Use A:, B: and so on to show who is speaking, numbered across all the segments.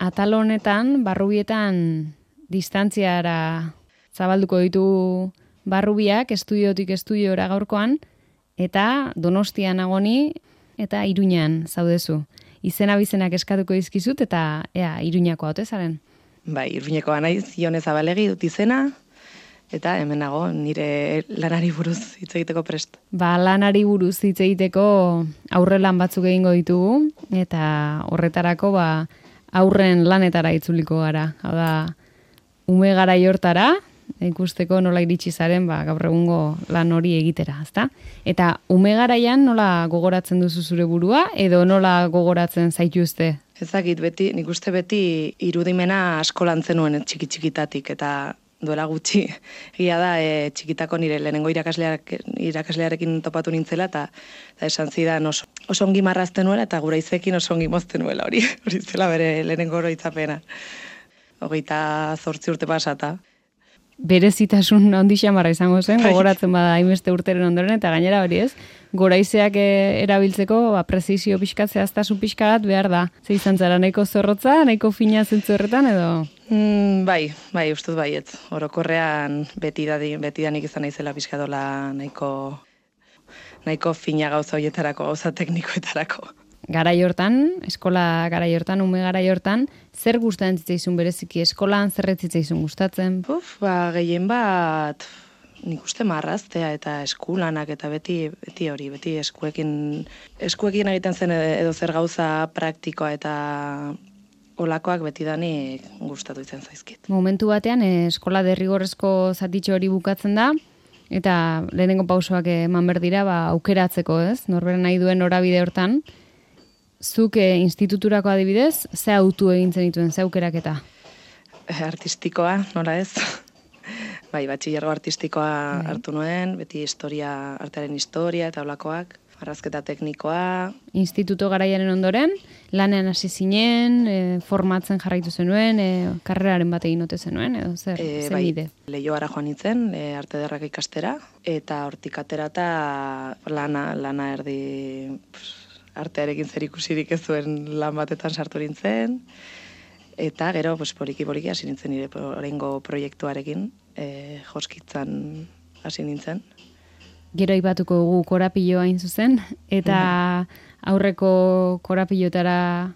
A: atal honetan, barrubietan distantziara zabalduko ditu barrubiak, estudiotik estudiora gaurkoan, eta Donostian agoni, eta Iruñan zaudezu. Izena bizenak eskatuko dizkizut, eta Iruñakoa ote zaren?
B: Bai, Iruñekoa naiz, Ione Zabalegi dut izena, eta hemen nago nire lanari buruz hitz egiteko prest.
A: Lanari buruz hitz egiteko aurrelan batzuk egingo ditugu, eta horretarako aurren lanetara itzuliko gara. Hau da, ume garai hortara, ikusteko nola iritsi zaren gaur egungo lan hori egitera, ezta? Eta ume garaian nola gogoratzen duzu zure burua, edo nola gogoratzen zaituzte?
B: Ezakit beti, nik uste beti irudimena asko lantzen nuen txiki-txikitatik, eta duela gutxi, egia da, txikitako nire lehenengo irakaslearekin topatu nintzela, eta esan zidan oso ongi marrazten nuela, eta gura izekin oso ongi mozten nuela, hori zela bere lehenengo oroitzapena. 28 urte pasata.
A: Berezitasun handi xamarra izango zen, gogoratzen bada hainbeste urteren ondoren, eta gainera hori ez, goraizeak erabiltzeko prezisio pixkat, zehaztasun pixkat behar da. Ze izan zara, nahiko zorrotza, nahiko fina zentzu horretan, edo?
B: Bai, ustut baiet. Orokorrean betidanik izan naizela pixkatola nahiko fina gauza horietarako, gauza teknikoetarako.
A: Garai hortan, eskola garai hortan, ume garai hortan, zer gustatzen zitzaizun bereziki eskolan, zer ez zitzaizun gustatzen?
B: Gehien bat, nik uste marraztea eta eskulanak eta beti eskuekin egiten zen edo zer gauza praktikoa eta olakoak betidanik gustatu izan zaizkit. Momentu
A: batean eskola derrigorrezko zatitxo hori bukatzen da, eta lehenengo pausoak eman berdira aukeratzeko, ez? Norberen nahi duen norabide hortan. Zuk instituturako adibidez, ze autu egin zenituen, ze aukeraketa?
B: Artistikoa, nola ez? Bai, batxillergo artistikoa hartu nuen, beti artearen historia eta olakoak, marrazketa teknikoa. Instituto
A: garaiaren ondoren, lanean hasi zinen, formatzen jarraitu zenuen, karreraren bat egin ote zenuen, edo zer bide?
B: Leioara joan nintzen, arte ederrak ikastera, eta hortik aterata lana erdi artearekin zer ikusirik ez zuen lan batetan sartu nintzen, eta gero poliki hasi nintzen nire oraingo proiektuarekin, joskitzan hasi nintzen.
A: Gero aipatuko dugu korapilloa hain zuzen, eta aurreko korapillotara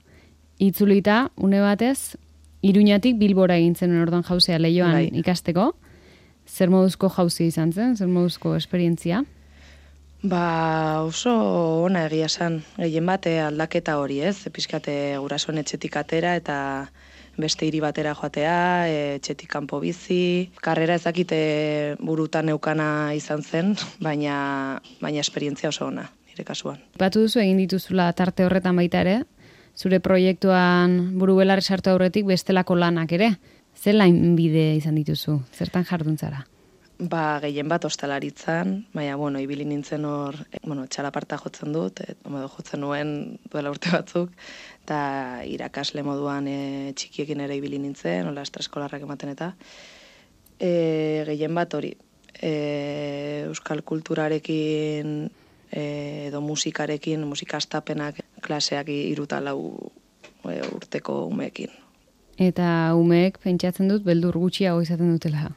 A: itzulita, une batez, Iruñatik Bilbora egin zen orduan jauzea Leioan ikasteko. Zer moduzko jauzia izan zen, zer moduzko esperientzia?
B: Oso ona egia esan, gehien bate aldaketa hori ez, pixkate gurasoen etxetik atera eta beste hiri batera joatea, etxetik kanpo bizi. Karrera ezakite burutan neukana izan zen, baina esperientzia oso ona, nire kasuan.
A: Batu duzu egin dituzula tarte horretan baita ere, zure proiektuan buru belarri sartu aurretik bestelako lanak ere. Zer lain bide izan dituzu, zertan jardun zara?
B: Gehien bat ostalaritzan, baina, ibili nintzen hor, txalaparta jotzen dut, jotzen nuen duela urte batzuk, eta irakasle moduan txikiekin ere ibili nintzen, hola estraskolarrak ematen eta. Gehien bat hori, euskal kulturarekin edo musikarekin, musikastapenak klaseak 3 eta 4 urteko umeekin.
A: Eta umeek pentsatzen dut beldur gutxiago izaten dutela.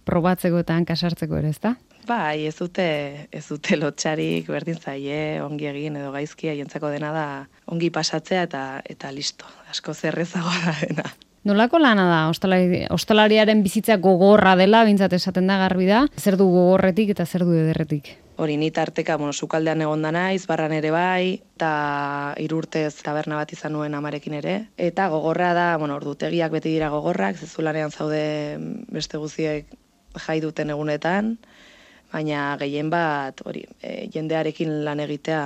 A: Probatzeko eta hankasartzeko ere, ezta?
B: Bai, ez dute lotxarik, berdin zaie, ongi egin edo gaizki, haientzako dena da ongi pasatzea eta listo. Asko zerrezagoa da dena.
A: Nolako lana da? Ostalariaren bizitza gogorra dela, bintzat esaten da garbi da. Zer du gogorretik eta zer du ederretik?
B: Hori, ni tarteka, sukaldean egon da naiz, barran ere bai, eta 3 urtez taberna bat izan nuen amarekin ere. Eta gogorra da, ordutegiak beti dira gogorrak, zezulanean zaude beste guztiek jai duten egunetan, baina gehien bat hori, jendearekin lan egitea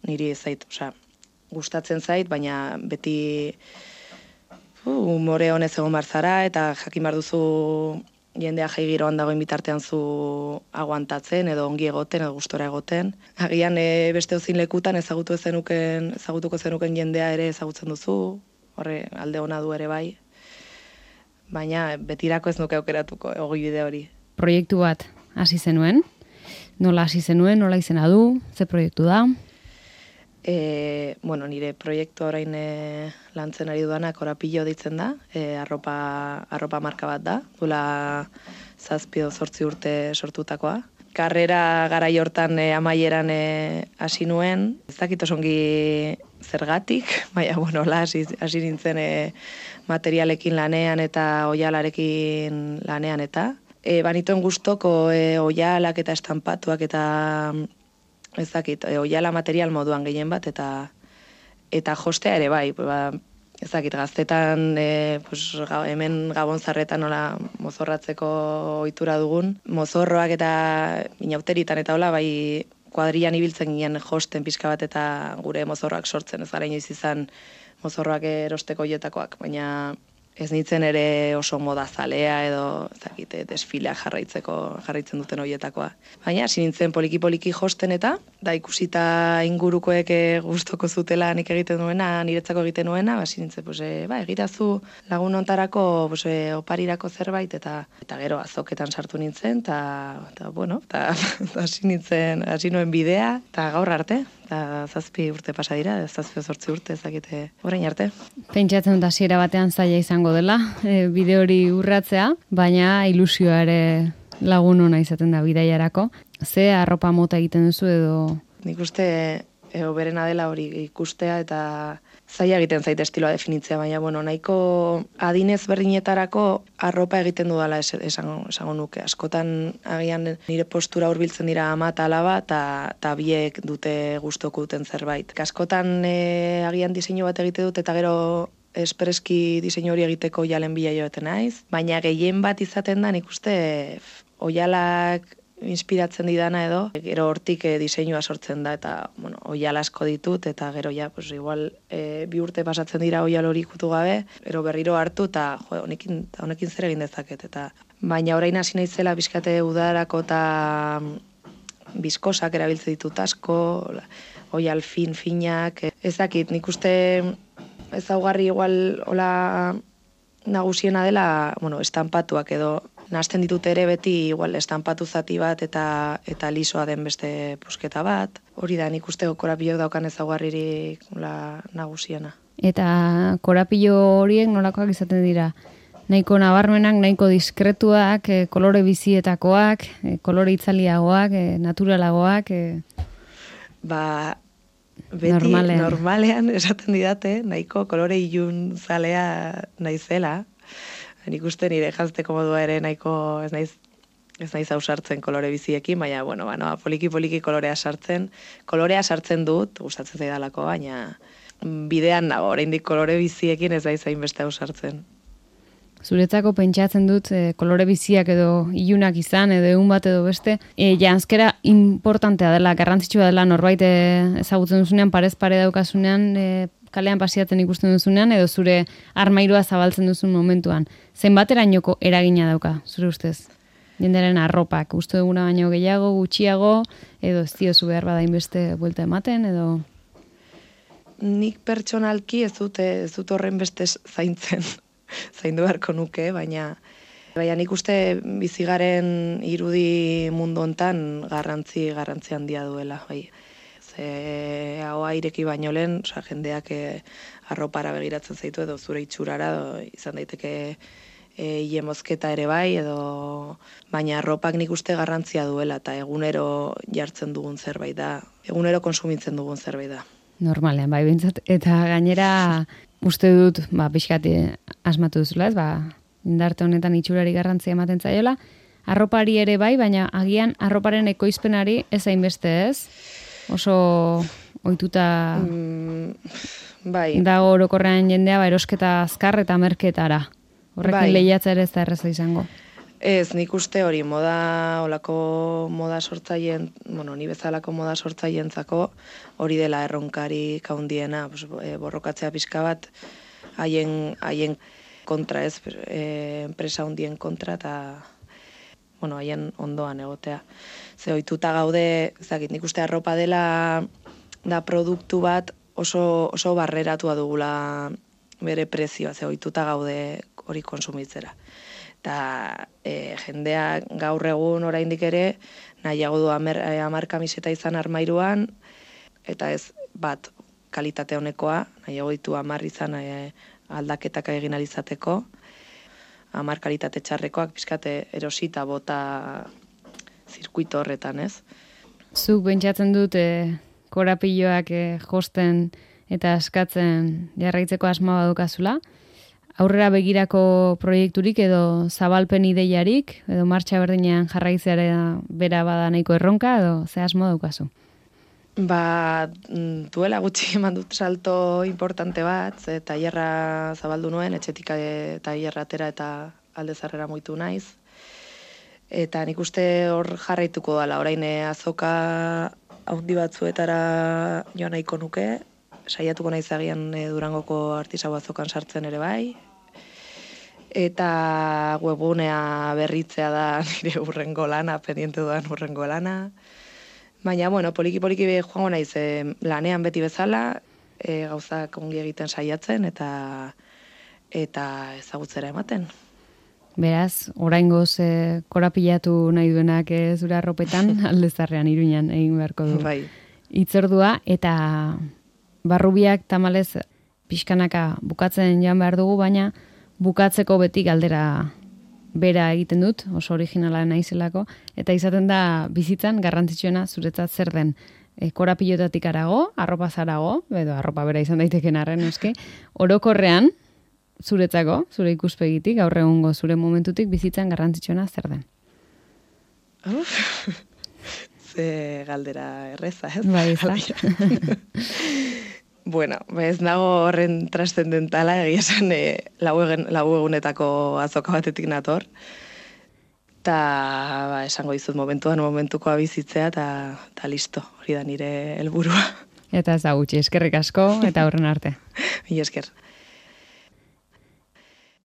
B: niri gustatzen zait, baina beti umore honez egon barzara, eta jakin behar duzu jendea jai giroan dagoen bitartean zu aguantatzen, edo ongi egoten, edo gustora egoten. Agian beste ozin lekutan ezagutuko zenuken jendea ere ezagutzen duzu, horre alde ona du ere bai, baina betirako ez nuke aukeratuko ogibide hori.
A: Proiektu bat hasi zenuen? Nola hasi zenuen, nola izena du, ze proiektu da?
B: Nire proiektu orain lantzen ari duana Korapillo ditzen da, arropa marka bat da, duela 7-8 urte sortutakoa. Karrera garai hortan amaieran hasi nuen, ez dakit osongi zergatik, baina hasi nintzen materialekin lanean eta oialarekin lanean eta. Banituen gustoko oialak eta estampatuak eta ez dakit, oiala material moduan gehien bat eta jostea ere bai, ez dakit, gaztetan hemen Gabonzarretan nola mozorratzeko ohitura dugun. Mozorroak eta inauteritan eta hola, bai kuadrilan ibiltzen ginen josten pixka bat eta gure mozorroak sortzen, ez gara inoiz izan mozorroak erosteko joetakoak, baina ez nintzen ere oso moda zalea edo ez dakit, desfilea jarraitzen duten horietakoa. Baina hasi nintzen poliki josten eta da ikusita ingurukoek gustoko zutela nik egiten duena, niretzako egiten nuena, hasi nintzen egitazu lagun hontarako oparirako zerbait eta gero azoketan sartu nintzen eta hasi nuen bidea eta gaur arte. Eta 7 urte pasa dira, 7-8 urte ezakite orain arte.
A: Pentsatzen dut hasiera batean zaila izango dela, bide hori urratzea, baina ilusioa ere lagun ona izaten da bidaiarako. Ze arropa mota egiten duzu edo?
B: Nik uste berena dela hori ikustea eta zaila egiten zait estiloa definitzea, baina nahiko adinez berdinetarako arropa egiten dudala esango nuke. Askotan agian nire postura hurbiltzen dira ama eta alaba eta biek dute gustoko duten zerbait. Askotan agian diseinu bat egite dut eta gero espreski diseinu hori egiteko oialen bila joeten naiz, baina gehien bat izaten da nik uste oialak inspiratzen didana edo, gero hortik diseinua sortzen da eta oial asko ditut eta gero igual 2 urte pasatzen dira oial hori ikutu gabe, gero berriro hartu eta honekin zer egin dezaket eta baina orain hasi naizela bizkate udarako eta biskosak erabiltzen ditut asko, oial finak, ez dakit, nik uste ezaugarri igual hola nagusiena dela, estampatuak edo nahasten ditut ere beti igual estampatu zati bat eta lisoa den beste pusketa bat. Hori da, nik uste Korapillok daukan ezaugarririk nagusiena.
A: Eta Korapillo horiek nolakoak izaten dira? Nahiko nabarmenak, nahiko diskretuak, kolore bizietakoak, kolore itzaliagoak, naturalagoak?
B: Beti normalean esaten didate, nahiko kolore ilun zalea naizela. Nik uste nire jantzeko modua ere nahiko ez naiz ausartzen kolore biziekin, baina, poliki kolorea sartzen dut, gustatzen zaidalako, baina bidean nago, oraindik kolore biziekin ez naiz hainbeste ausartzen.
A: Zuretzako pentsatzen dut kolore biziak edo ilunak izan, edo egun bat edo beste, janzkera importantea dela, garrantzitsua dela norbait ezagutzen duzunean, parez pare daukasunean, kalean pasiatzen ikusten duzunean, edo zure armairua zabaltzen duzun momentuan. Zenbaterainoko eragina dauka, zure ustez? Jendearen arropak, uste duguna baino gehiago, gutxiago, edo ez diozu behar bada inbeste buelta ematen, edo?
B: Nik pertsonalki ez dut horren beste zaindu beharko nuke, baina nik uste bizigaren irudi mundu hontan garrantzi handia duela, bai. Hau ireki baino lehen, jendeak arropara begiratzen zaitu edo zure itxurara, izan daiteke ile mozketa ere bai, edo baina arropak nik uste garrantzia duela eta egunero jartzen dugun zerbait da, egunero konsumitzen dugun zerbait da.
A: Normalean, bai bintzat, eta gainera uste dut, pixkati asmatu duzula, indarte honetan itxurari garrantzia ematen zaiola, arropari ere bai, baina agian arroparen ekoizpenari ez hainbeste ez? Oso ohituta dago orokorrean jendea erosketa azkar eta merketara. Horrekin lehiatzea ere ez da erraza izango.
B: Ez, nik uste hori olako moda sortzaileen, ni bezalako moda sortzaileentzako hori dela erronkarik handiena, borrokatzea pixka bat haien kontra ez, enpresa handien kontra eta haien ondoan egotea. Ze ohituta gaude, nik uste arropa dela da produktu bat oso barreratua dugula bere prezioa, ze ohituta gaude hori konsumitzera. Eta jendea gaur egun oraindik ere nahiago du 10 kamiseta izan armairuan, eta ez bat kalitate honekoa, nahiago ditu 10 izan aldaketak egin alizateko, 10 kalitate txarrekoak pixkate erosita bota zirkuito horretan, ez?
A: Zuk pentsatzen dut korapiloak josten eta askatzen jarraitzeko asma badukazula. Aurrera begirako proiekturik edo zabalpen ideiarik, edo martxa berdinean jarraitzeara bera bada nahiko erronka, edo ze asmo daukazu?
B: Duela gutxi eman dut salto importante bat, tailerra zabaldu nuen, etxetik tailerra atera eta alde zarrera muitu naiz. Eta nik uste hor jarraituko dala, orain azoka haundi batzuetara joan nahiko nuke, saiatuko naiz agian Durangoko artisau azokan sartzen ere bai, eta webgunea berritzea da nire urrengo lana, pendiente dudan urrengo lana. Baina, poliki-poliki joango naiz lanean beti bezala, gauzak ongi egiten saiatzen eta ezagutzera ematen.
A: Beraz, oraingoz korapilatu nahi duenak zure arropetan, Aldezarrean Iruñan egin beharko du.
B: Bai.
A: Hitzordua eta barrubiak tamalez pixkanaka bukatzen joan behar dugu, baina bukatzeko beti galdera bera egiten dut, oso originala naizelako, eta izaten da bizitzan garrantzitsuena zuretzat zer den. Korapilotatik arago, arropa zarago, edo arropa bera izan daiteken arren, eske, orokorrean, zuretzako, zure ikuspegitik, gaur egungo zure momentutik bizitzan garrantzitsuena zer den.
B: Ze galdera erreza, ez?
A: Bai, ez da.
B: Bueno, ez nago horren trascendentala, egia esan lau egunetako azoka batetik nator. Eta esango dizut momentukoa bizitzea, eta listo, hori da nire helburua.
A: Eta ez da gutxi, eskerrik asko, eta horren arte.
B: Mila esker.